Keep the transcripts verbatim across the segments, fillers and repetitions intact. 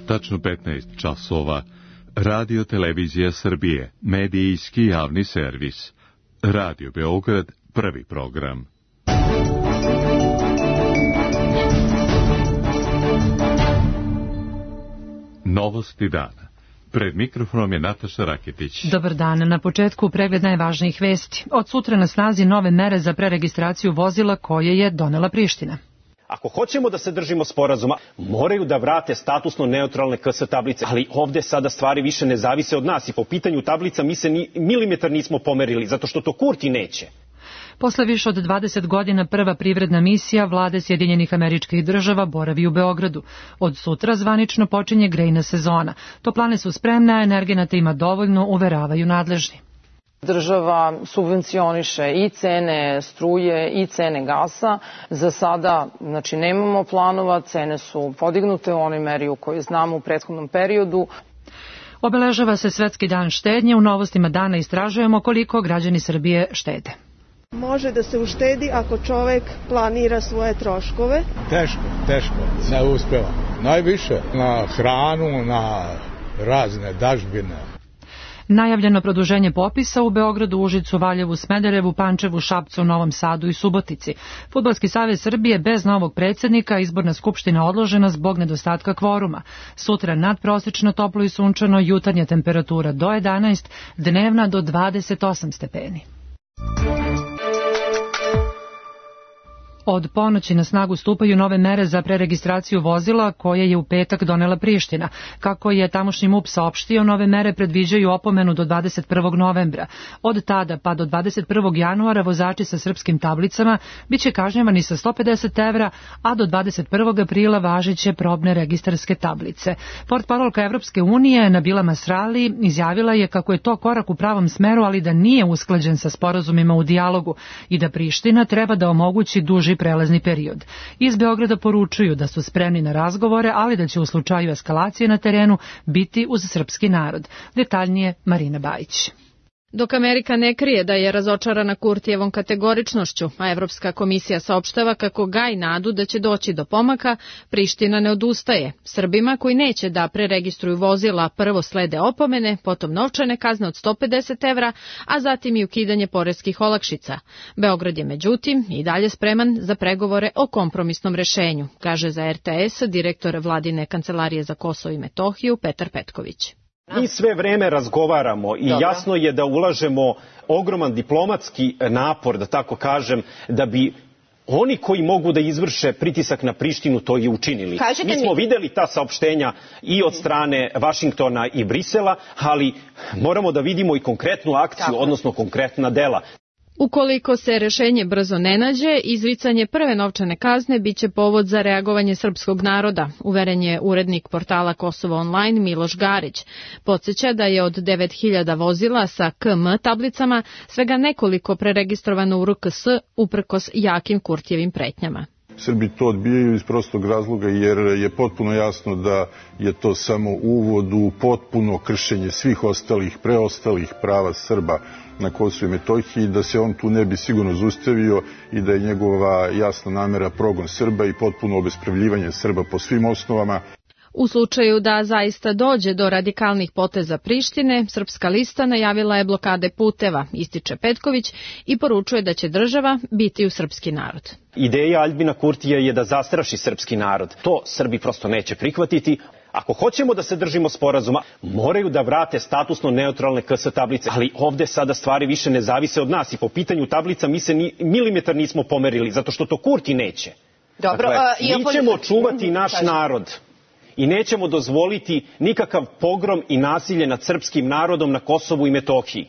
tačno petnaest časova. Radio Televizija Srbije, medijski javni servis. Radio Beograd, prvi program. Novosti dana. Pred mikrofonom je Nataša Raketić. Dobar dan. Na početku pregled najvažnijih vesti. Od sutra na snazi nove mere za preregistraciju vozila koje je donela Priština. Ako hoćemo da se držimo sporazuma, moraju da vrate statusno neutralne K S tablice. Ali ovde sada stvari više ne zavise od nas i po pitanju tablica mi se ni milimetar nismo pomerili, zato što to Kurti neće. Posle više od dvadeset godina prva privredna misija vlade Sjedinjenih Američkih Država boravi u Beogradu. Od sutra zvanično počinje grejna sezona. Toplane su spremne, a energenata ima dovoljno, uveravaju nadležni. Država subvencioniše i cene struje i cene gasa. Za sada, znači, nemamo planova, cene su podignute u onoj meri u kojoj znamo u prethodnom periodu. Obeležava se Svetski dan štednje. U novostima dana istražujemo koliko građani Srbije štede. Može da se uštedi ako čovek planira svoje troškove. Teško, teško, ne uspeva. Najviše na hranu, na razne dažbine. Najavljeno produženje popisa u Beogradu, Užicu, Valjevu, Smederevu, Pančevu, Šapcu, Novom Sadu i Subotici. Fudbalski savez Srbije bez novog predsjednika, izborna skupština odložena zbog nedostatka kvoruma. Sutra nadprosečno toplo i sunčano, jutarnja temperatura do jedanaest, dnevna do dvadeset osam stepeni. Od ponoći na snagu stupaju nove mere za preregistraciju vozila koje je u petak donela Priština. Kako je tamošnji M U P saopštio, nove mere predviđaju opomenu do dvadeset prvog novembra. Od tada pa do dvadeset prvog januara vozači sa srpskim tablicama biće kažnjavani sa sto pedeset evra, a do dvadeset prvog aprila važeće probne registarske tablice. Portparolka Evropske unije Nabila Masrali izjavila je kako je to korak u pravom smeru, ali da nije usklađen sa sporazumima u dijalogu i da Priština treba da omogući duži prelazni period. Iz Beograda poručuju da su spremni na razgovore, ali da će u slučaju eskalacije na terenu biti uz srpski narod. Detaljnije Marina Bajić. Dok Amerika ne krije da je razočarana Kurtijevom kategoričnošću, a Evropska komisija saopštava kako gaji nadu da će doći do pomaka, Priština ne odustaje. Srbima koji neće da preregistruju vozila prvo slede opomene, potom novčane kazne od sto pedeset evra, a zatim i ukidanje poreskih olakšica. Beograd je međutim i dalje spreman za pregovore o kompromisnom rešenju, kaže za R T S direktor Vladine kancelarije za Kosovo i Metohiju Petar Petković. Mi sve vreme razgovaramo i Dobro. Jasno je da ulažemo ogroman diplomatski napor, da tako kažem, da bi oni koji mogu da izvrše pritisak na Prištinu to i učinili. Kažete mi smo mi... videli ta saopštenja i od strane Vašingtona i Brisela, ali moramo da vidimo i konkretnu akciju, tako. Odnosno konkretna dela. Ukoliko se rešenje brzo ne nađe, izricanje prve novčane kazne biće povod za reagovanje srpskog naroda, uveren je urednik portala Kosovo online Miloš Garić. Podsjeća da je od devet hiljada vozila sa K M tablicama svega nekoliko preregistrovano u R K S uprkos jakim Kurtijevim pretnjama. Srbi to odbijaju iz prostog razloga jer je potpuno jasno da je to samo uvod u potpuno kršenje svih ostalih, preostalih prava Srba na Kosovu i Metohiji, da se on tu ne bi sigurno zaustavio i da je njegova jasna namera progon Srba i potpuno obespravljivanje Srba po svim osnovama. U slučaju da zaista dođe do radikalnih poteza Prištine, Srpska lista najavila je blokade puteva, ističe Petković i poručuje da će država biti u srpski narod. Ideja Aljbina Kurtija je da zastraši srpski narod. To Srbi prosto neće prihvatiti. Ako hoćemo da se držimo sporazuma, moraju da vrate statusno neutralne K S tablice. Ali ovde sada stvari više ne zavise od nas i po pitanju tablica mi se ni milimetar nismo pomerili, zato što to Kurti neće. Dobro, dakle, a, mi ćemo čuvati naš Kažem. narod i nećemo dozvoliti nikakav pogrom i nasilje nad srpskim narodom na Kosovu i Metohiji.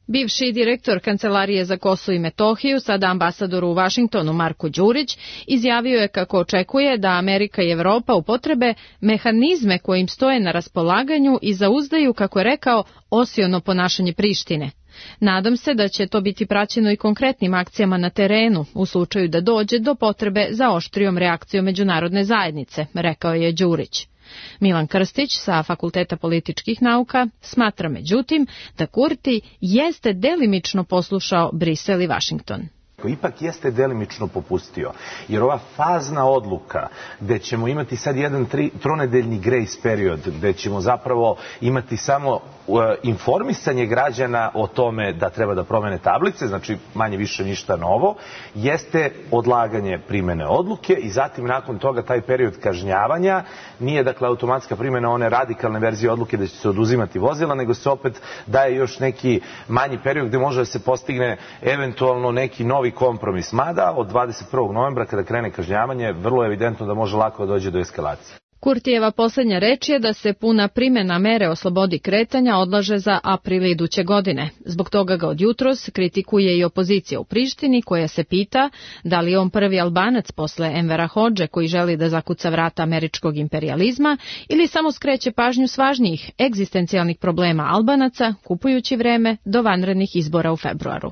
Bivši direktor Kancelarije za Kosovo i Metohiju, sada ambasador u Vašingtonu Marko Đurić, izjavio je kako očekuje da Amerika i Evropa upotrebe mehanizme koje im stoje na raspolaganju i zauzdaju, kako je rekao, osiono ponašanje Prištine. Nadam se da će to biti praćeno i konkretnim akcijama na terenu u slučaju da dođe do potrebe za oštrijom reakcijom međunarodne zajednice, rekao je Đurić. Milan Krstić sa Fakulteta političkih nauka smatra međutim da Kurti jeste delimično poslušao Brisel i Vašington. Ipak jeste delimično popustio, jer ova fazna odluka gde ćemo imati sad jedan tri, tronedeljni grace period, gde ćemo zapravo imati samo uh, informisanje građana o tome da treba da promene tablice, znači manje više ništa novo, jeste odlaganje primene odluke i zatim nakon toga taj period kažnjavanja nije dakle automatska primena one radikalne verzije odluke da će se oduzimati vozila, nego se opet daje još neki manji period gde može da se postigne eventualno neki novi kompromis. Mada od dvadeset prvog novembra kada krene kažnjavanje, vrlo je evidentno da može lako da dođe do eskalacije. Kurtijeva poslednja reč je da se puna primjena mere o slobodi kretanja odlaže za april iduće godine. Zbog toga ga od jutros kritikuje i opozicija u Prištini, koja se pita da li je on prvi Albanac posle Envera Hodže koji želi da zakuca vrata američkog imperijalizma ili samo skreće pažnju s važnijih egzistencijalnih problema Albanaca, kupujući vreme do vanrednih izbora u februaru.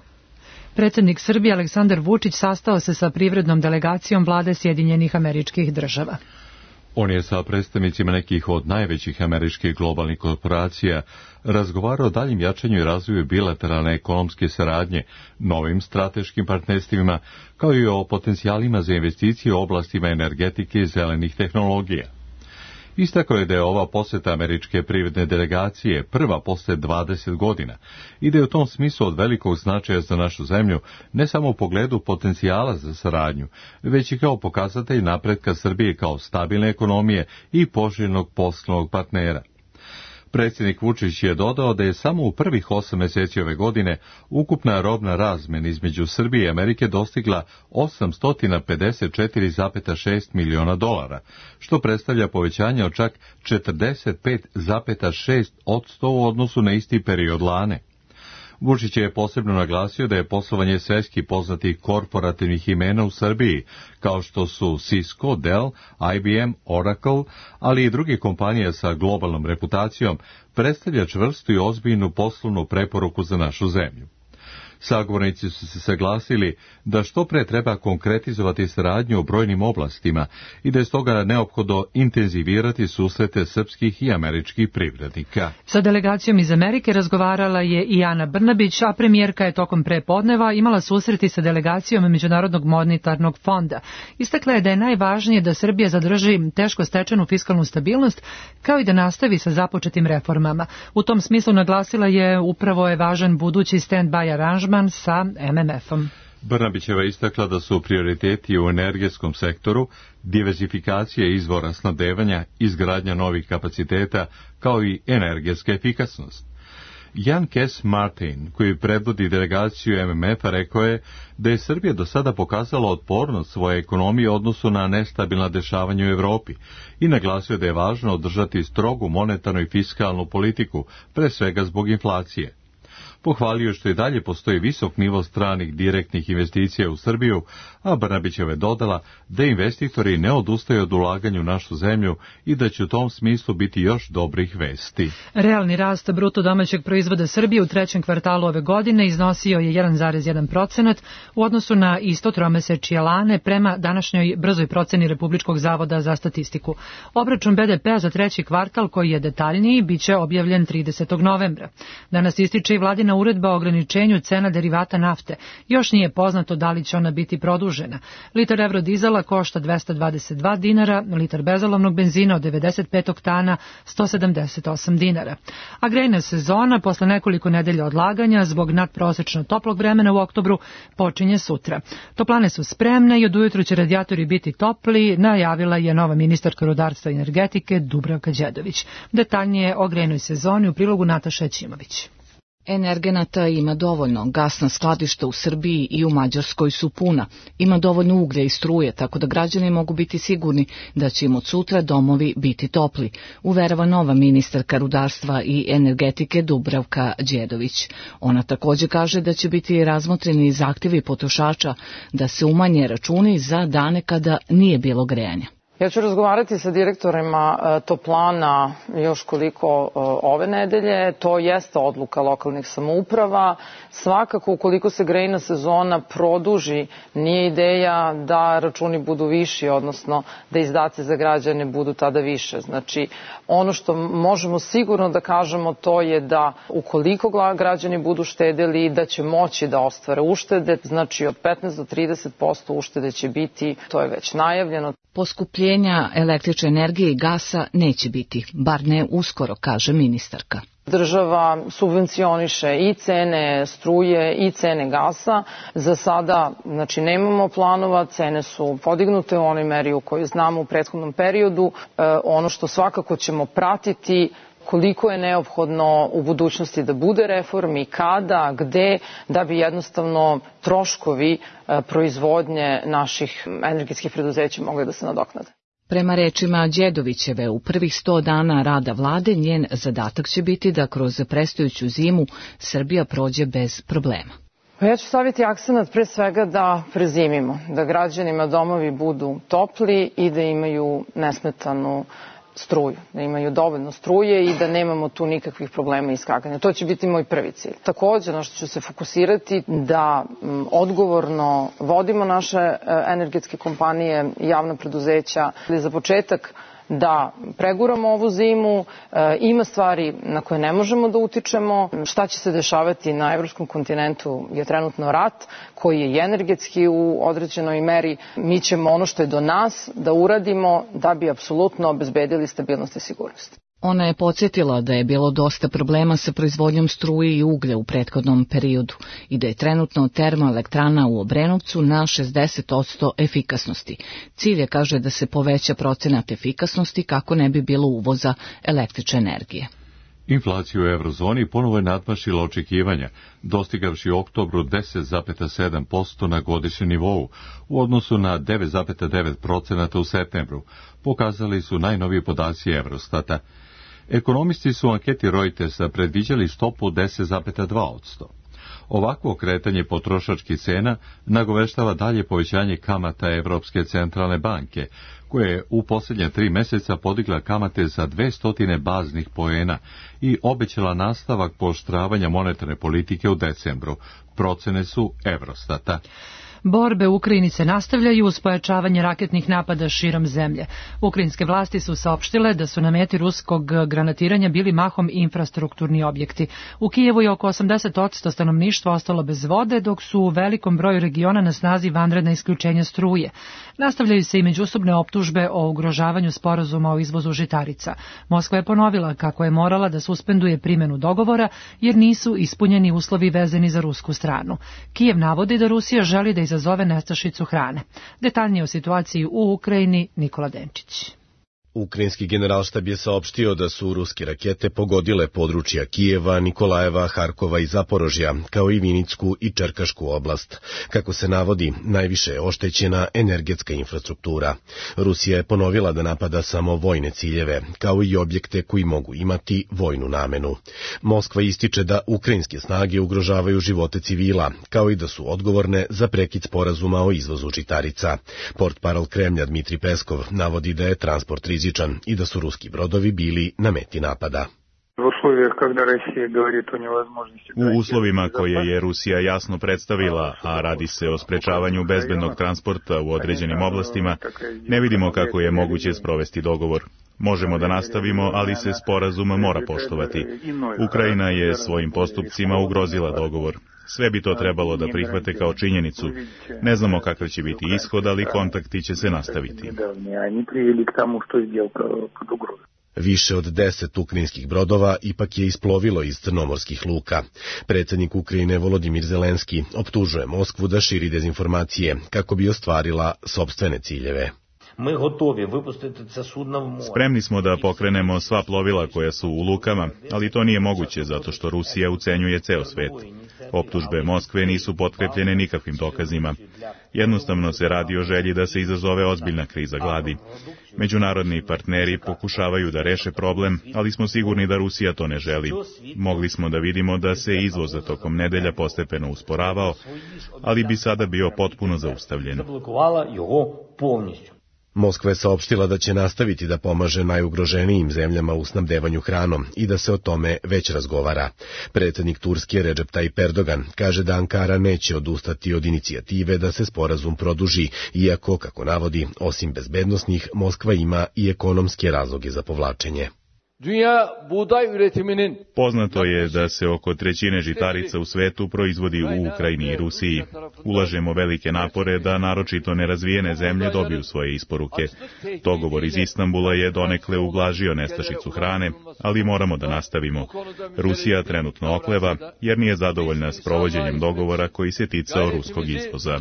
Predsjednik Srbije Aleksandar Vučić sastao se sa privrednom delegacijom vlade Sjedinjenih Američkih Država. On je sa predstavnicima nekih od najvećih američkih globalnih korporacija razgovarao o daljim jačanju i razvoju bilateralne ekonomske saradnje, novim strateškim partnerstvima, kao i o potencijalima za investicije u oblastima energetike i zelenih tehnologija. Istakao je da je ova poseta američke privredne delegacije prva posle dvadeset godina i da je u tom smislu od velikog značaja za našu zemlju ne samo u pogledu potencijala za saradnju, već i kao pokazatelj napretka Srbije kao stabilne ekonomije i poželjnog poslovnog partnera. Predsjednik Vučić je dodao da je samo u prvih osam meseci ove godine ukupna robna razmena između Srbije i Amerike dostigla osamsto pedeset četiri zarez šest miliona dolara, što predstavlja povećanje od čak četrdeset pet zarez šest posto u odnosu na isti period lane. Vučić je posebno naglasio da je poslovanje svetski poznatih korporativnih imena u Srbiji, kao što su Cisco, Dell, I B M, Oracle, ali i druge kompanije sa globalnom reputacijom, predstavlja čvrstu i ozbiljnu poslovnu preporuku za našu zemlju. Sagovornici su se saglasili da što pre treba konkretizovati saradnju u brojnim oblastima i da je stoga neophodno intenzivirati susrete srpskih i američkih privrednika. Sa delegacijom iz Amerike razgovarala je i Ana Brnabić, a premijerka je tokom prepodneva imala susreti sa delegacijom Međunarodnog monetarnog fonda. Istakla je da je najvažnije da Srbija zadrži teško stečenu fiskalnu stabilnost, kao i da nastavi sa započetim reformama. U tom smislu naglasila je upravo je važan budući stand-by aranžman sa M M F-om. Brnabićeva istakla da su prioriteti u energetskom sektoru, diversifikacija izvora snabdevanja, izgradnja novih kapaciteta, kao i energetska efikasnost. Jan Kes Martin, koji predvodi delegaciju M M F-a, rekao je da je Srbija do sada pokazala otpornost svoje ekonomije u odnosu na nestabilna dešavanja u Evropi i naglasio da je važno održati strogu monetarnu i fiskalnu politiku, pre svega zbog inflacije. Pohvalio što i dalje postoji visok nivo stranih direktnih investicija u Srbiju, a Brnabićeva je dodala da investitori ne odustaju od ulaganja u našu zemlju i da će u tom smislu biti još dobrih vesti. Realni rast bruto domaćeg proizvoda Srbije u trećem kvartalu ove godine iznosio je jedan zarez jedan procenat u odnosu na isto tromesečje lane prema današnjoj brzoj proceni Republičkog zavoda za statistiku. Obračun B D P-a za treći kvartal, koji je detaljniji, biće objavljen tridesetog novembra. Danas ističe i vladina uredba o ograničenju cena derivata nafte. Još nije poznato da li će ona biti produžena. Litar evrodizela košta dvesta dvadeset dva dinara, litar bezolovnog benzina od devedeset pet oktana sto sedamdeset osam dinara. A grejna sezona, posle nekoliko nedelja odlaganja, zbog nadprosečno toplog vremena u oktobru, počinje sutra. Toplane su spremne i od ujutru će radijatori biti topli, najavila je nova ministarka rudarstva i energetike Dubravka Đedović. Detaljnije o grejnoj sezoni u prilogu Nataša Ćimović. Energenata ima dovoljno, gasna skladišta u Srbiji i u Mađarskoj su puna, ima dovoljno uglja i struje, tako da građani mogu biti sigurni da će im od sutra domovi biti topli, uverava nova ministarka rudarstva i energetike Dubravka Đedović. Ona također kaže da će biti razmotreni zahtjevi potrošača da se umanje računi za dane kada nije bilo grejanja. Ja ću razgovarati sa direktorima toplana još koliko ove nedelje. To jeste odluka lokalnih samouprava. Svakako, ukoliko se grejna sezona produži, nije ideja da računi budu viši, odnosno da izdaci za građane budu tada više. Znači, ono što možemo sigurno da kažemo to je da ukoliko građani budu štedeli, da će moći da ostvare uštede. Znači, od petnaest do trideset posto uštede će biti, to je već najavljeno. Poskupljenja električne energije i gasa neće biti, bar ne uskoro, kaže ministarka. Država subvencioniše i cene struje i cene gasa. Za sada, znači, nemamo planova, cene su podignute u onoj meri u kojoj znamo u prethodnom periodu. E, ono što svakako ćemo pratiti koliko je neophodno u budućnosti da bude reformi, kada, gde, da bi jednostavno troškovi proizvodnje naših energetskih preduzeća mogli da se nadoknade. Prema rečima Đedovićeve, u prvih sto dana rada vlade njen zadatak će biti da kroz predstojeću zimu Srbija prođe bez problema. Ja ću staviti akcenat pre svega da prezimimo, da građanima domovi budu topli i da imaju nesmetanu struju, da imaju dovoljno struje i da nemamo tu nikakvih problema iskakanja. To će biti moj prvi cilj. Također, na što ću se fokusirati, da odgovorno vodimo naše energetske kompanije i javna preduzeća. Za početak, da preguramo ovu zimu, e, ima stvari na koje ne možemo da utičemo. Šta će se dešavati na evropskom kontinentu je trenutno rat, koji je energetski u određenoj meri. Mi ćemo ono što je do nas da uradimo da bi apsolutno obezbedili stabilnost i sigurnost. Ona je podsjetila da je bilo dosta problema sa proizvodnjom struje i uglja u prethodnom periodu i da je trenutno termoelektrana u Obrenovcu na šezdeset posto efikasnosti. Cilj je, kaže, da se poveća procenat efikasnosti kako ne bi bilo uvoza električne energije. Inflacija u eurozoni ponovo je nadmašila očekivanja, dostigavši u oktobru deset zarez sedam posto na godišnjem nivou, u odnosu na devet zarez devet posto u septembru, pokazali su najnoviji podaci Eurostata. Ekonomisti su u anketi Reutersa predviđali stopu deset zarez dva posto. Ovakvo kretanje potrošačkih cena nagoveštava dalje povećanje kamata Evropske centralne banke, koja je u posljednje tri meseca podigla kamate za dvesta baznih poena i obećala nastavak pooštravanja monetarne politike u decembru. Procene su Eurostata. Borbe u Ukrajini se nastavljaju uz pojačavanje raketnih napada širom zemlje. Ukrajinske vlasti su saopštile da su na meti ruskog granatiranja bili mahom infrastrukturni objekti. U Kijevu je oko osamdeset posto stanovništva ostalo bez vode, dok su u velikom broju regiona na snazi vanredna isključenja struje. Nastavljaju se i međusobne optužbe o ugrožavanju sporazuma o izvozu žitarica. Moskva je ponovila kako je morala da suspenduje primjenu dogovora jer nisu ispunjeni uslovi vezani za rusku stranu. Kijev navodi da Rusija želi da izazove nestašicu hrane. Detaljnije o situaciji u Ukrajini Nikola Denčić. Ukrajinski generalštab je saopštio da su ruske rakete pogodile područja Kijeva, Nikolajeva, Harkova i Zaporožja, kao i Vinicku i Čerkašku oblast. Kako se navodi, najviše je oštećena energetska infrastruktura. Rusija je ponovila da napada samo vojne ciljeve, kao i objekte koji mogu imati vojnu namenu. Moskva ističe da ukrajinske snage ugrožavaju živote civila, kao i da su odgovorne za prekid sporazuma o izvozu žitarica. Portparol Kremlja Dmitri Peskov navodi da je transport rizičan i da su ruski brodovi bili na meti napada. U uslovima koje je Rusija jasno predstavila, a radi se o sprečavanju bezbednog transporta u određenim oblastima, ne vidimo kako je moguće sprovesti dogovor. Možemo da nastavimo, ali se sporazum mora poštovati. Ukrajina je svojim postupcima ugrozila dogovor. Sve bi to trebalo da prihvate kao činjenicu. Ne znamo kakav će biti ishod, ali kontakti će se nastaviti. Više od deset ukrajinskih brodova ipak je isplovilo iz crnomorskih luka. Predsjednik Ukrajine Volodimir Zelenski optužuje Moskvu da širi dezinformacije kako bi ostvarila sopstvene ciljeve. Spremni smo da pokrenemo sva plovila koja su u lukama, ali to nije moguće zato što Rusija ucenjuje ceo svet. Optužbe Moskve nisu potkrepljene nikakvim dokazima. Jednostavno se radi o želji da se izazove ozbiljna kriza gladi. Međunarodni partneri pokušavaju da reše problem, ali smo sigurni da Rusija to ne želi. Mogli smo da vidimo da se izvoz za tokom nedelja postepeno usporavao, ali bi sada bio potpuno zaustavljen. Moskva je saopštila da će nastaviti da pomaže najugroženijim zemljama u snabdevanju hranom i da se o tome već razgovara. Predsjednik Turske Recep Tayyip Erdogan kaže da Ankara neće odustati od inicijative da se sporazum produži, iako, kako navodi, osim bezbednosnih, Moskva ima i ekonomske razloge za povlačenje. Poznato je da se oko trećine žitarica u svetu proizvodi u Ukrajini i Rusiji. Ulažemo velike napore da naročito nerazvijene zemlje dobiju svoje isporuke. Dogovor iz Istanbula je donekle ublažio nestašicu hrane, ali moramo da nastavimo. Rusija trenutno okleva jer nije zadovoljna s provođenjem dogovora koji se ticao ruskog izvoza.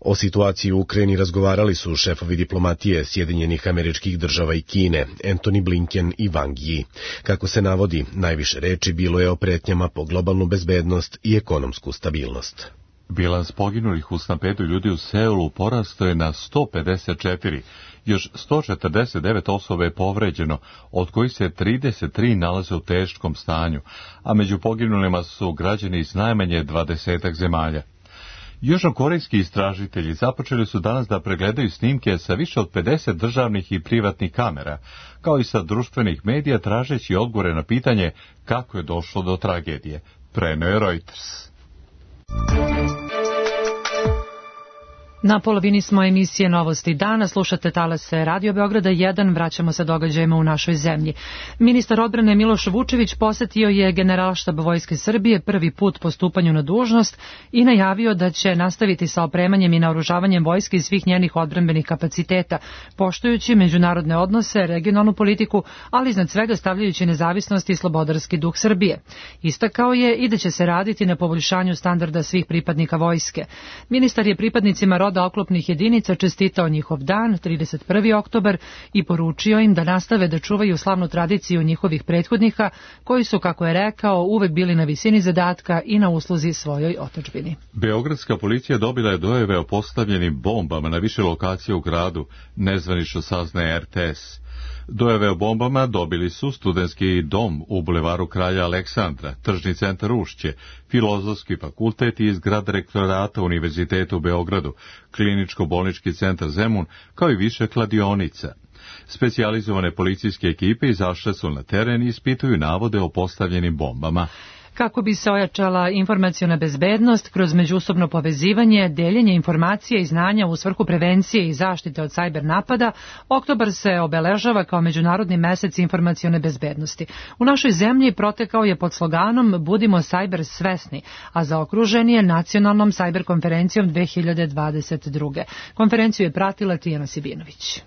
O situaciji u Ukrajini razgovarali su šefovi diplomatije Sjedinjenih Američkih Država i Kine, Antony Blinken i Wang Yi. Kako se navodi, najviše reči bilo je o pretnjama po globalnu bezbednost i ekonomsku stabilnost. Bilans poginulih u stampedu ljudi u Seulu porastao je na sto pedeset četiri, još sto četrdeset devet osoba je povređeno, od kojih se trideset tri nalaze u teškom stanju, a među poginulima su građani iz najmanje dvadesetak zemalja. Južnokorejski istražitelji započeli su danas da pregledaju snimke sa više od pedeset državnih i privatnih kamera, kao i sa društvenih medija, tražeći odgovore na pitanje kako je došlo do tragedije. Preneo je Reuters. Na polovini smo emisije Novosti dana, slušate talase Radio Beograda jedan, vraćamo se događajima u našoj zemlji. Ministar odbrane Miloš Vučević posetio je Generalštab Vojske Srbije prvi put po stupanju na dužnost i najavio da će nastaviti sa opremanjem i naoružavanjem vojske i svih njenih odbrambenih kapaciteta, poštujući međunarodne odnose, regionalnu politiku, ali iznad svega stavljajući nezavisnost i slobodarski duh Srbije. Istakao je i da će se raditi na poboljšanju standarda svih pripadnika vojske. Ministar je pripadnicima roda oklopnih jedinica čestitao njihov dan, trideset prvi oktobar, i poručio im da nastave da čuvaju slavnu tradiciju njihovih prethodnika, koji su, kako je rekao, uvek bili na visini zadatka i na usluzi svojoj otadžbini. Beogradska policija dobila je dojave o postavljenim bombama na više lokacije u gradu, nezvanično saznaje R T S. Dojave o bombama dobili su studentski dom u bulevaru Kralja Aleksandra, tržni centar Ušće, Filozofski fakultet i zgrada rektorata Univerziteta u Beogradu, kliničko-bolnički centar Zemun, kao i više kladionica. Specijalizovane policijske ekipe izašle su na teren i ispituju navode o postavljenim bombama. Kako bi se ojačala informaciona bezbednost kroz međusobno povezivanje, deljenje informacija i znanja u svrhu prevencije i zaštite od sajber napada, oktobar se obeležava kao Međunarodni mesec informacione bezbednosti. U našoj zemlji protekao je pod sloganom Budimo sajber svesni, a zaokružen je nacionalnom sajber konferencijom dve hiljade dvadeset druge. Konferenciju je pratila Tijana Sibinović.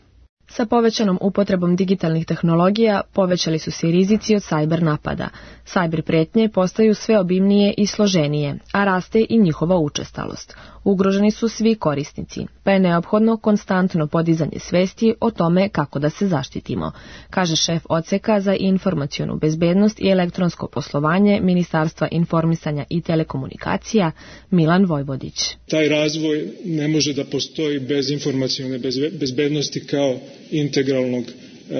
Sa povećanom upotrebom digitalnih tehnologija povećali su se i rizici od sajber napada. Sajber pretnje postaju sve obimnije i složenije, a raste i njihova učestalost. Ugroženi su svi korisnici, pa je neophodno konstantno podizanje svesti o tome kako da se zaštitimo, kaže šef odseka za informacionu bezbednost i elektronsko poslovanje Ministarstva informisanja i telekomunikacija Milan Vojvodić. Taj razvoj ne može da postoji bez informacione bezbednosti kao integralnog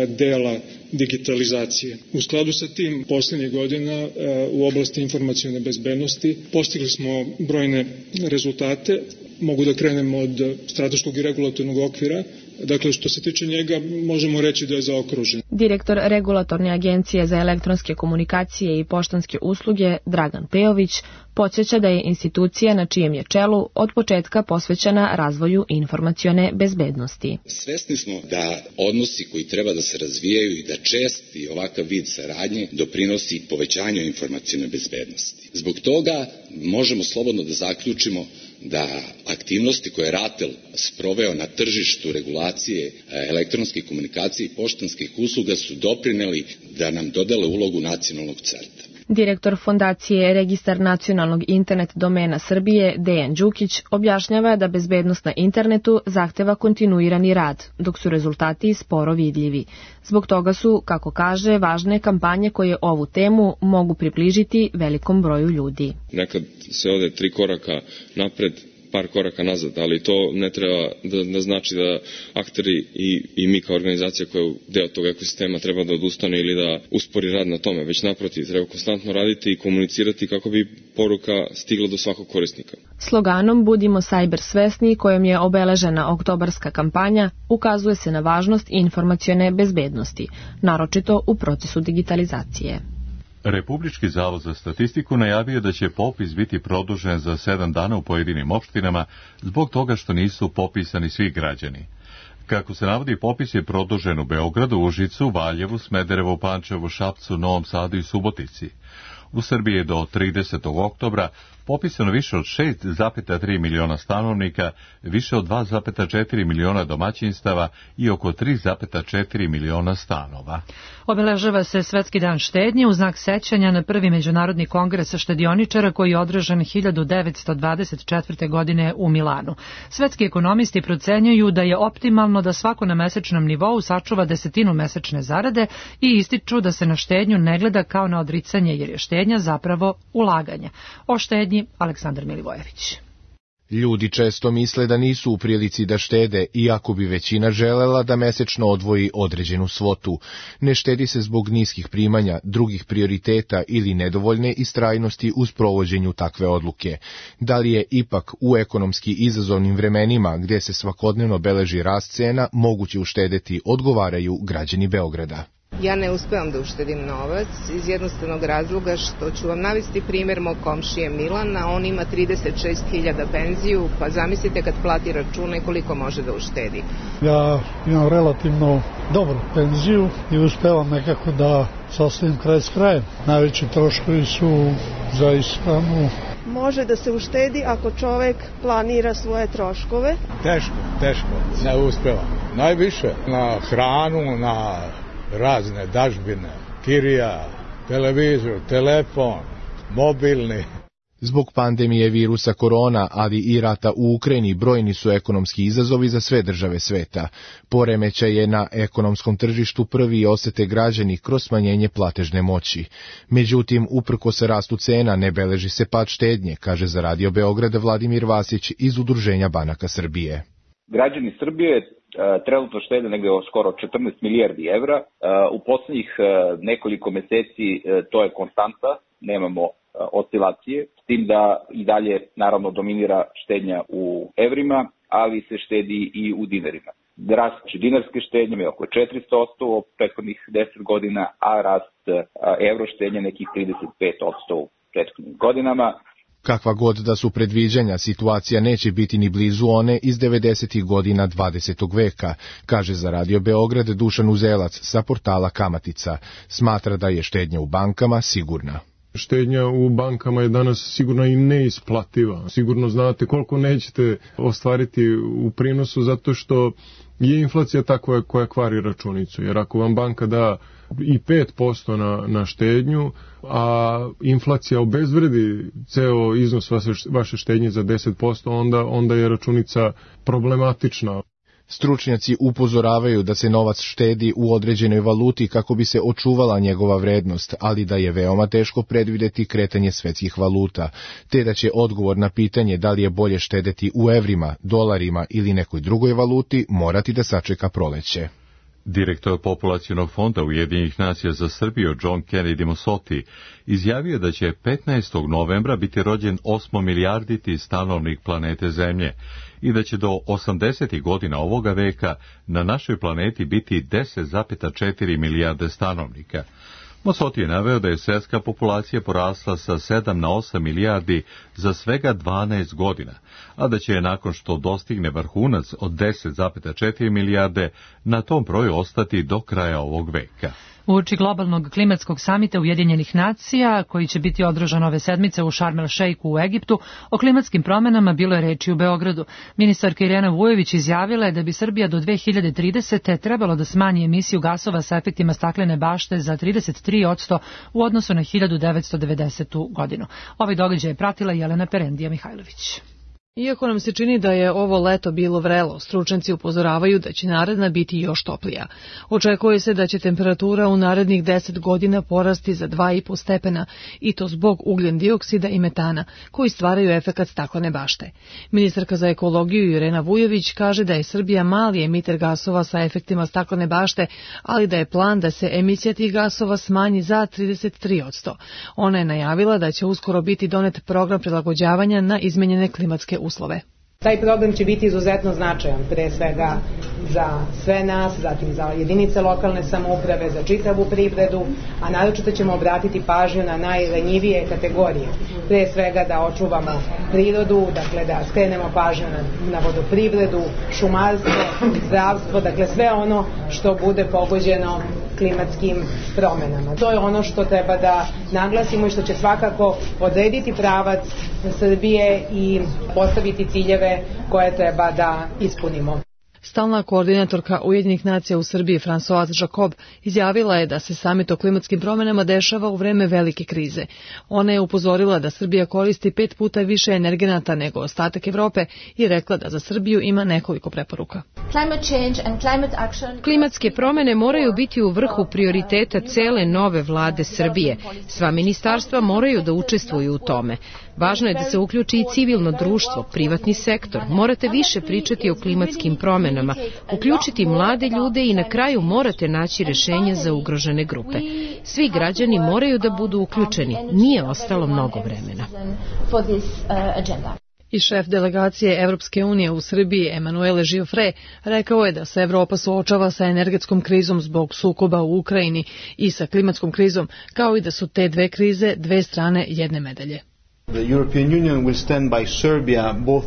dela digitalizacije. U skladu sa tim, posljednjih godina u oblasti informacione bezbednosti postigli smo brojne rezultate. Mogu da krenem od strateškog i regulatornog okvira. Dakle, što se tiče njega, možemo reći da je zaokružen. Direktor Regulatorne agencije za elektronske komunikacije i poštanske usluge Dragan Pejović podsjeća da je institucija na čijem je čelu od početka posvećena razvoju informacione bezbednosti. Svesni smo da odnosi koji treba da se razvijaju i da česti ovakav vid saradnje doprinosi povećanju informacione bezbednosti. Zbog toga možemo slobodno da zaključimo da aktivnosti koje je RATEL sproveo na tržištu regulacije elektronske komunikacije i poštanskih usluga su doprineli da nam dodele ulogu nacionalnog CERT-a. Direktor Fondacije Registar nacionalnog internet domena Srbije Dejan Đukić objašnjava da bezbednost na internetu zahteva kontinuirani rad, dok su rezultati sporo vidljivi. Zbog toga su, kako kaže, važne kampanje koje ovu temu mogu približiti velikom broju ljudi. Nekad se ode tri koraka napred, par koraka nazad, ali to ne treba da, da znači da akteri i, i mi kao organizacija koja je deo tog ekosistema treba da odustane ili da uspori rad na tome, već naprotiv, treba konstantno raditi i komunicirati kako bi poruka stigla do svakog korisnika. Sloganom Budimo sajber svesni, kojom je obeležena oktobarska kampanja, ukazuje se na važnost informacione bezbednosti, naročito u procesu digitalizacije. Republički zavod za statistiku najavio da će popis biti produžen za sedam dana u pojedinim opštinama zbog toga što nisu popisani svi građani. Kako se navodi, popis je produžen u Beogradu, Užicu, Valjevu, Smederevu, Pančevu, Šapcu, Novom Sadu i Subotici. U Srbiji je do tridesetog oktobra popisano više od šest zarez tri miliona stanovnika, više od dva zarez četiri miliona domaćinstava i oko tri zarez četiri miliona stanova. Obeležava se Svetski dan štednje u znak sećanja na prvi međunarodni kongres štedioničara koji je održan hiljadu devetsto dvadeset četvrte. godine u Milanu. Svetski ekonomisti procenjuju da je optimalno da svako na mesečnom nivou sačuva desetinu mesečne zarade i ističu da se na štednju ne gleda kao na odricanje jer je štednja zapravo ulaganje. O štednji Aleksandar Milivojević. Ljudi često misle da nisu u prilici da štede, iako bi većina želela da mesečno odvoji određenu svotu. Ne štedi se zbog niskih primanja, drugih prioriteta ili nedovoljne istrajnosti u sprovođenju takve odluke. Da li je ipak u ekonomski izazovnim vremenima, gdje se svakodnevno beleži rast cena, moguće uštedeti, odgovaraju građani Beograda. Ja ne uspevam da uštedim novac iz jednostavnog razloga što ću vam navesti primjer mog komšije Milana. On ima trideset šest hiljada penziju, pa zamislite kad plati račune koliko može da uštedi. Ja imam relativno dobru penziju i uspevam nekako da sastavim kraj s krajem. Najveći troškovi su za ishranu. Može da se uštedi ako čovek planira svoje troškove. Teško, teško, ne uspevam. Najviše na hranu, na razne dažbine, kirija, televizor, telefon, mobilni. Zbog pandemije virusa korona, ali i rata u Ukrajini, brojni su ekonomski izazovi za sve države sveta. Poremećaj je na ekonomskom tržištu prvi osete građani kroz smanjenje platežne moći. Međutim, uprkos rastu cena ne beleži se pad štednje, kaže za Radio Beograd Vladimir Vasić iz Udruženja banaka Srbije. Građani Srbije trenutno štede negde skoro četrnaest milijardi evra. U poslednjih nekoliko meseci to je konstanta, nemamo oscilacije, s tim da i dalje naravno dominira štednja u evrima, ali se štedi i u dinarima. Rast dinarske štednje je oko četiristo posto u prethodnih deset godina, a rast evro štednje nekih trideset pet posto u prethodnim godinama. Kakva god da su predviđanja, situacija neće biti ni blizu one iz devedesetih godina dvadesetog veka, kaže za Radio Beograd Dušan Uzelac sa portala Kamatica. Smatra da je štednja u bankama sigurna. Štednja u bankama je danas sigurno i neisplativa. Sigurno znate koliko nećete ostvariti u prinosu zato što je inflacija takva koja kvari računicu. Jer ako vam banka da i pet posto na, na štednju, a inflacija obezvredi ceo iznos vaše, vaše štednje za deset posto, onda, onda je računica problematična. Stručnjaci upozoravaju da se novac štedi u određenoj valuti kako bi se očuvala njegova vrednost, ali da je veoma teško predvideti kretanje svetskih valuta, te da će odgovor na pitanje da li je bolje štedeti u evrima, dolarima ili nekoj drugoj valuti morati da sačeka proleće. Direktor Populacionog fonda Ujedinjenih nacija za Srbiju John Kennedy Mosoti izjavio da će petnaestog novembra biti rođen osmomilijarditi stanovnik planete Zemlje i da će do osamdesetih godina ovoga veka na našoj planeti biti deset zarez četiri milijarde stanovnika. Mosoti je naveo da je svjetska populacija porasla sa sedam na osam milijardi za svega dvanaest godina, a da će nakon što dostigne vrhunac od deset zarez četiri milijarde na tom broju ostati do kraja ovog veka. Uoči globalnog klimatskog samita Ujedinjenih nacija, koji će biti održan ove sedmice u Šarm el Šejku u Egiptu, o klimatskim promenama bilo je reči u Beogradu. Ministarka Irena Vujović izjavila je da bi Srbija do dve hiljade tridesete. trebalo da smanji emisiju gasova sa efektima staklene bašte za trideset tri posto u odnosu na hiljadu devetsto devedesetu. godinu. Ovaj događaj je pratila Jelena Perendija Mihajlović. Iako nam se čini da je ovo leto bilo vrelo, stručnjaci upozoravaju da će naredna biti još toplija. Očekuje se da će temperatura u narednih deset godina porasti za dva i po stepena, i to zbog ugljen dioksida i metana, koji stvaraju efekat staklene bašte. Ministarka za ekologiju Irena Vujović kaže da je Srbija mali emiter gasova sa efektima staklene bašte, ali da je plan da se emisija tih gasova smanji za trideset tri posto. Ona je najavila da će uskoro biti donet program prilagođavanja na izmenjene klimatske uslove. Taj program će biti izuzetno značajan, pre svega za sve nas, zatim za jedinice lokalne samouprave, za čitavu privredu, a naročito ćemo obratiti pažnju na najranjivije kategorije. Pre svega da očuvamo prirodu, dakle da skrenemo pažnju na, na vodoprivredu, šumarstvo, zdravstvo, dakle sve ono što bude pogođeno klimatskim promenama. To je ono što treba da naglasimo i što će svakako odrediti pravac Srbije i postaviti ciljeve koje treba da ispunimo. Stalna koordinatorka Ujedinjenih nacija u Srbiji Françoise Jacob izjavila je da se samit o klimatskim promenama dešava u vreme velike krize. Ona je upozorila da Srbija koristi pet puta više energenata nego ostatak Evrope i rekla da za Srbiju ima nekoliko preporuka. Klimatske promene moraju biti u vrhu prioriteta cele nove vlade Srbije. Sva ministarstva moraju da učestvuju u tome. Važno je da se uključi i civilno društvo, privatni sektor. Morate više pričati o klimatskim promenama, uključiti mlade ljude i na kraju morate naći rešenje za ugrožene grupe. Svi građani moraju da budu uključeni. Nije ostalo mnogo vremena. I šef delegacije Evropske unije u Srbiji, Emanuele Giuffre, rekao je da se Evropa suočava sa energetskom krizom zbog sukoba u Ukrajini i sa klimatskom krizom, kao i da su te dve krize dve strane jedne medalje.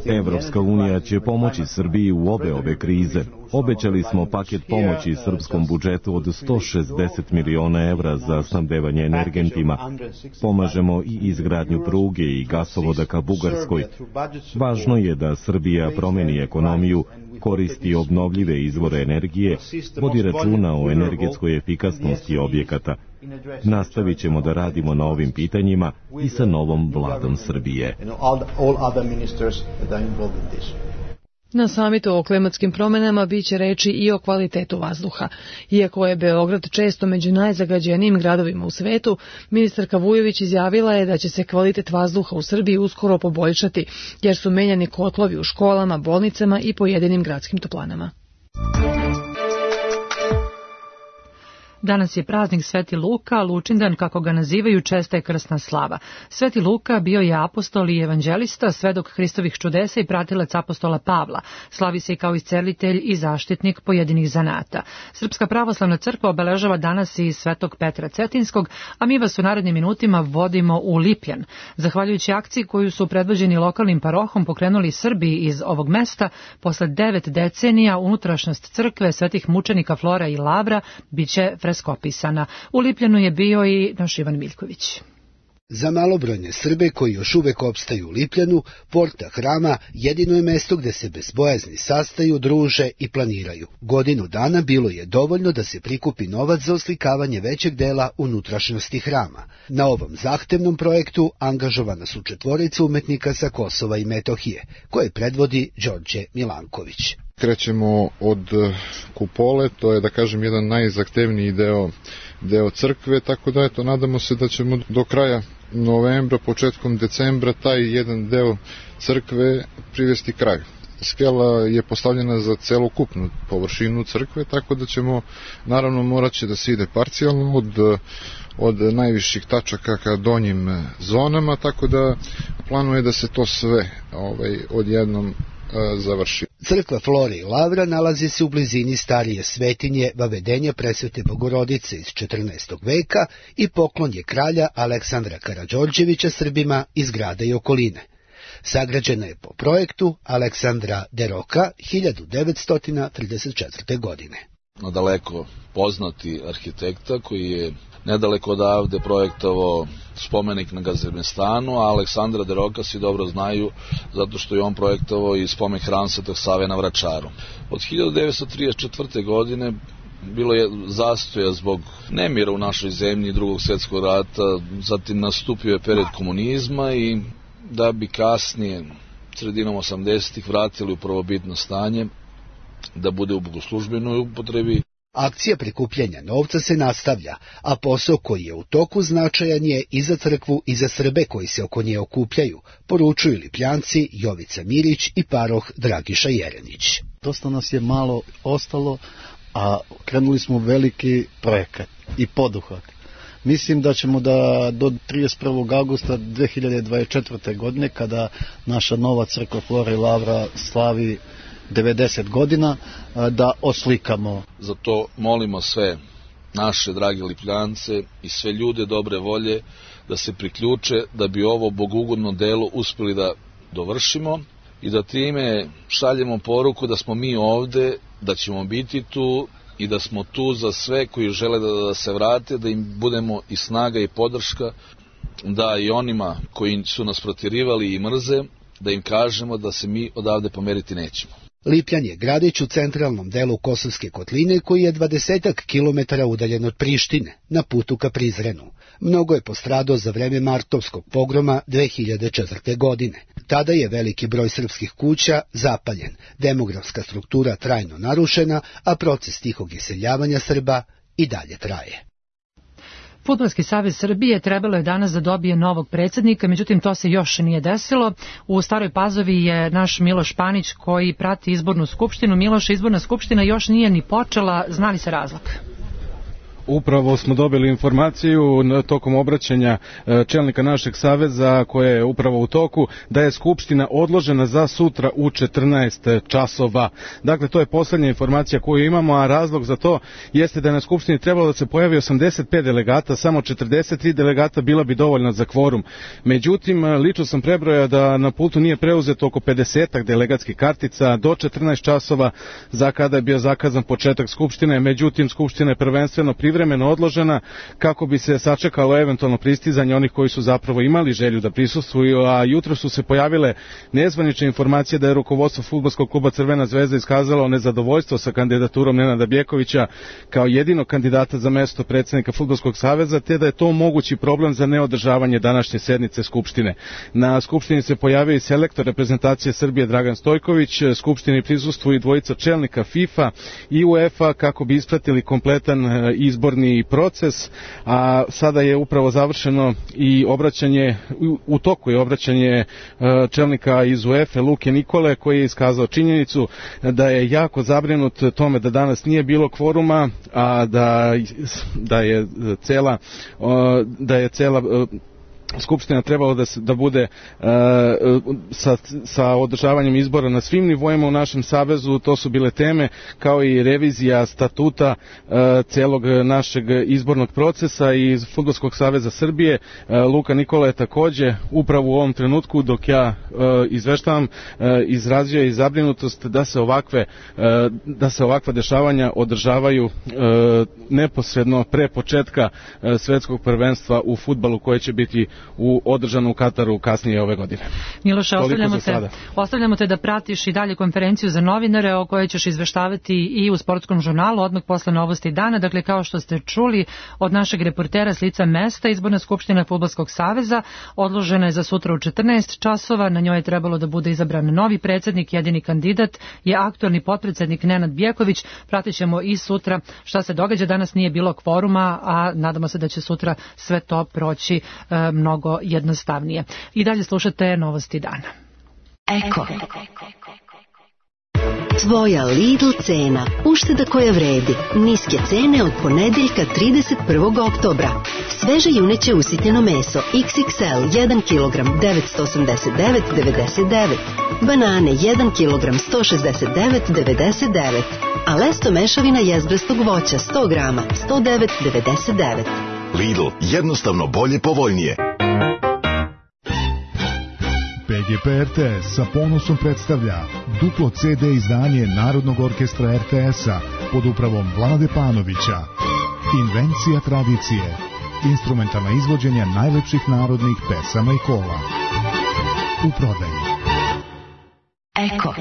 Evropska unija će pomoći Srbiji u obe ove krize. Obećali smo paket pomoći srpskom budžetu od sto šezdeset miliona evra za snabdevanje energentima. Pomažemo i izgradnju pruge i gasovoda ka Bugarskoj. Važno je da Srbija promeni ekonomiju, koristi obnovljive izvore energije, vodi računa o energetskoj efikasnosti objekata. Nastavit ćemo da radimo na ovim pitanjima i sa novom vladom Srbije. Na samitu o klimatskim promenama biće reči i o kvalitetu vazduha. Iako je Beograd često među najzagađenijim gradovima u svetu, ministarka Vujović izjavila je da će se kvalitet vazduha u Srbiji uskoro poboljšati, jer su menjani kotlovi u školama, bolnicama i pojedinim gradskim toplanama. Danas je praznik Sveti Luka, Lučindan, kako ga nazivaju, česta je krsna slava. Sveti Luka bio je apostol i evanđelista, svedok Hristovih čudesa i pratilac apostola Pavla. Slavi se i kao iscelitelj i zaštitnik pojedinih zanata. Srpska pravoslavna crkva obeležava danas i Svetog Petra Cetinskog, a mi vas u narednim minutima vodimo u Lipljan. Zahvaljujući akciji koju su predvođeni lokalnim parohom pokrenuli Srbi iz ovog mesta, posle devet decenija unutrašnjost crkve svetih mučenika Flora i Lavra biće freskopisana. U Lipljanu je bio i naš Ivan Miljković. Za malobrojne Srbe koji još uvek opstaju u Lipljanu, porta hrama jedino je mesto gde se bez bojazni sastaju, druže i planiraju. Godinu dana bilo je dovoljno da se prikupi novac za oslikavanje većeg dela unutrašnjosti hrama. Na ovom zahtevnom projektu angažovana su četvorica umetnika sa Kosova i Metohije, koje predvodi Đorđe Milanković. Krećemo od kupole, to je da kažem jedan najzahtevniji deo, deo crkve, tako da eto, nadamo se da ćemo do kraja novembra, početkom decembra taj jedan deo crkve privesti kraju. Skela je postavljena za celokupnu površinu crkve, tako da ćemo, naravno, morat će da se ide parcijalno od, od najviših tačaka ka donjim zonama, tako da planuje da se to sve ovaj, odjednom završi. Crkva Flore i Lavra nalazi se u blizini starije svetinje Vavedenja Presvete Bogorodice iz četrnaestog veka i poklon je kralja Aleksandra Karađorđevića Srbima iz grada i okoline. Sagrađena je po projektu Aleksandra Deroka hiljadu devetsto trideset četvrte. godine. Nadaleko poznati arhitekta koji je nedaleko odavde projektovao spomenik na Gazimestanu, a Aleksandra Deroka svi dobro znaju zato što je on projektovao i spomenik hram Svetog Save na Vračaru. Od hiljadu devetsto trideset četvrte. godine bilo je zastoja zbog nemira u našoj zemlji, drugog svjetskog rata, zatim nastupio je period komunizma i da bi kasnije sredinom osamdesetih vratili u prvobitno stanje, da bude u bogoslužbenoj upotrebi. Akcija prikupljanja novca se nastavlja, a posao koji je u toku značajan je i za crkvu i za Srbe koji se oko nje okupljaju, poručuju Lipljanci Jovica Mirić i paroh Dragiša Jerenić. Dosta nas je malo ostalo, a krenuli smo veliki projekat i poduhvat. Mislim da ćemo da do trideset prvog avgusta dve hiljade dvadeset četvrte. godine, kada naša nova crkva Flora i Lavra slavi devedeset godina, da oslikamo. Zato molimo sve naše drage Lipljance i sve ljude dobre volje da se priključe, da bi ovo bogugodno delo uspeli da dovršimo i da time šaljemo poruku da smo mi ovde, da ćemo biti tu i da smo tu za sve koji žele da, da se vrate, da im budemo i snaga i podrška, da i onima koji su nas protjerivali i mrze, da im kažemo da se mi odavde pomeriti nećemo. Lipljan je gradić u centralnom delu Kosovske kotline koji je dvadesetak kilometara udaljen od Prištine, na putu ka Prizrenu. Mnogo je postradao za vreme martovskog pogroma dve hiljade četvrte. godine. Tada je veliki broj srpskih kuća zapaljen, demografska struktura trajno narušena, a proces tihog iseljavanja Srba i dalje traje. Fudbalski savez Srbije trebalo je danas da dobije novog predsjednika, međutim to se još nije desilo. U Staroj Pazovi je naš Miloš Panić koji prati izbornu skupštinu. Miloš, izborna skupština još nije ni počela, zna li se razlog? Upravo smo dobili informaciju tokom obraćanja čelnika našeg saveza koje je upravo u toku da je skupština odložena za sutra u četrnaest časova. Dakle, to je posljednja informacija koju imamo, a razlog za to jeste da je na skupštini trebalo da se pojavi osamdeset pet delegata, samo četrdeset tri delegata bila bi dovoljna za kvorum. Međutim, lično sam prebrojao da na pultu nije preuzeto oko pedesetak delegatskih kartica do četrnaest časova za kada je bio zakazan početak skupštine. Međutim, skupština je prvenstveno privremeno odložena kako bi se sačekalo eventualno pristizanje onih koji su zapravo imali želju da prisustvuju, a jutro su se pojavile nezvanične informacije da je rukovodstvo fudbalskog kluba Crvena zvezda iskazalo nezadovoljstvo sa kandidaturom Nenada Bjekovića kao jedinog kandidata za mesto predsjednika Fudbalskog saveza, te da je to mogući problem za neodržavanje današnje sednice skupštine. Na skupštini se pojavio i selektor reprezentacije Srbije Dragan Stojković, skupštini prisustvuju i dvojica čelnika FIFA i UEFA kako bi ispratili kompletan izbor proces, a sada je upravo završeno i obraćanje, u toku je obraćanje čelnika iz UEFA Luke Nikole koji je iskazao činjenicu da je jako zabrinut tome da danas nije bilo kvoruma, a da, da je cela da je cela Skupština trebalo da, se, da bude uh, sa, sa održavanjem izbora na svim nivoima u našem savezu. To su bile teme kao i revizija statuta uh, celog našeg izbornog procesa iz Fudbalskog saveza Srbije. Uh, Luka Nikola je takođe upravo u ovom trenutku dok ja uh, izveštavam uh, izrazio i zabrinutost da se ovakve uh, da se ovakva dešavanja održavaju uh, neposredno pre početka uh, svetskog prvenstva u fudbalu koje će biti u održanu u Kataru kasnije ove godine. Miloše, ostavljamo te, ostavljamo te da pratiš i dalje konferenciju za novinare o kojoj ćeš izveštavati i u sportskom žurnalu odmah posle novosti dana. Dakle, kao što ste čuli od našeg reportera s lica mesta, izborna skupština Fudbalskog saveza odložena je za sutra u četrnaest časova. Na njoj je trebalo da bude izabran novi predsjednik. Jedini kandidat je aktualni potpredsjednik Nenad Bjeković. Pratit ćemo i sutra šta se događa. Danas nije bilo kvoruma, a nadamo se da će sutra sve to proći e, mnogo jednostavnije. I dalje slušate novosti dana. Eko. Tvoja Lidl cena. Ušteda koja vredi. Niske cene od ponedeljka trideset prvog oktobra. Sveže juneće usitnjeno meso iks iks el jedan kilogram devetsto osamdeset devet devedeset devet. Banane jedan kilogram sto šezdeset devet devedeset devet. A lesto mešavina jezbrastog voća sto grama sto devet devedeset devet. Lidl, jednostavno bolje, povoljnije. P G P R T S sa ponosom predstavlja duplo ce de izdanje Narodnog orkestra er te esa pod upravom Vlade Panovića. Invencija tradicije. Instrumentalna izvođenja najlepših narodnih pesama i kola. U prodaji. Eko.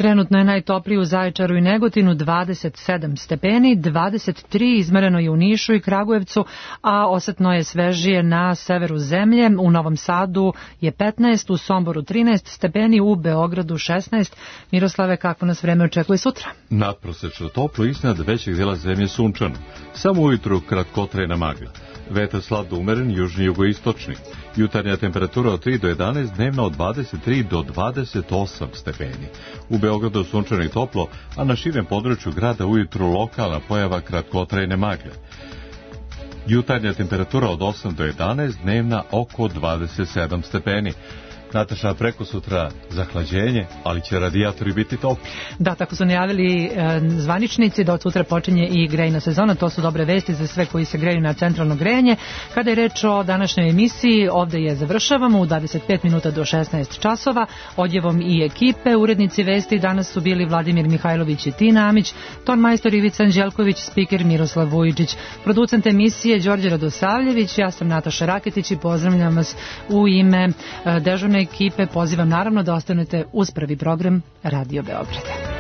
Trenutno je najtopliji u Zaječaru i Negotinu dvadeset sedam stepeni, dvadeset tri izmereno je u Nišu i Kragujevcu, a osetno je svežije na severu zemlje. U Novom Sadu je petnaest, u Somboru trinaest stepeni, u Beogradu šesnaest. Miroslave, kako nas vreme očekuje sutra? Nadprosečno toplo, iznad većeg dela zemlje sunčano. Samo ujutru kratkotrajna magla. Vetar slab umeren, južni jugoistočni. Jutarnja temperatura od tri do jedanaest, dnevna od dvadeset tri do dvadeset osam stepeni. U Beogradu sunčano i toplo, a na širem području grada ujutru lokalna pojava kratkotrajne magle. Jutarnja temperatura od osam do jedanaest, dnevna oko dvadeset sedam stepeni. Nataša, preko sutra zahlađenje, ali će radijatori biti topli. Da, tako su najavili e, zvaničnici da od sutra počinje i grejna sezona. To su dobre vesti za sve koji se greju na centralno grejanje. Kada je reč o današnjoj emisiji, ovde je završavamo u dvadeset pet minuta do šesnaest časova. Odjevom i ekipe, urednici vesti danas su bili Vladimir Mihajlović i Tina Amić, ton majstor Ivica Anđelković, spiker Miroslav Vujičić, producent emisije Đorđe Radosavljević, ja sam Nataša Raketić i pozdravljam vas u ime e, dežurne ekipe. Pozivam naravno da ostanete uz prvi program Radio Beograda.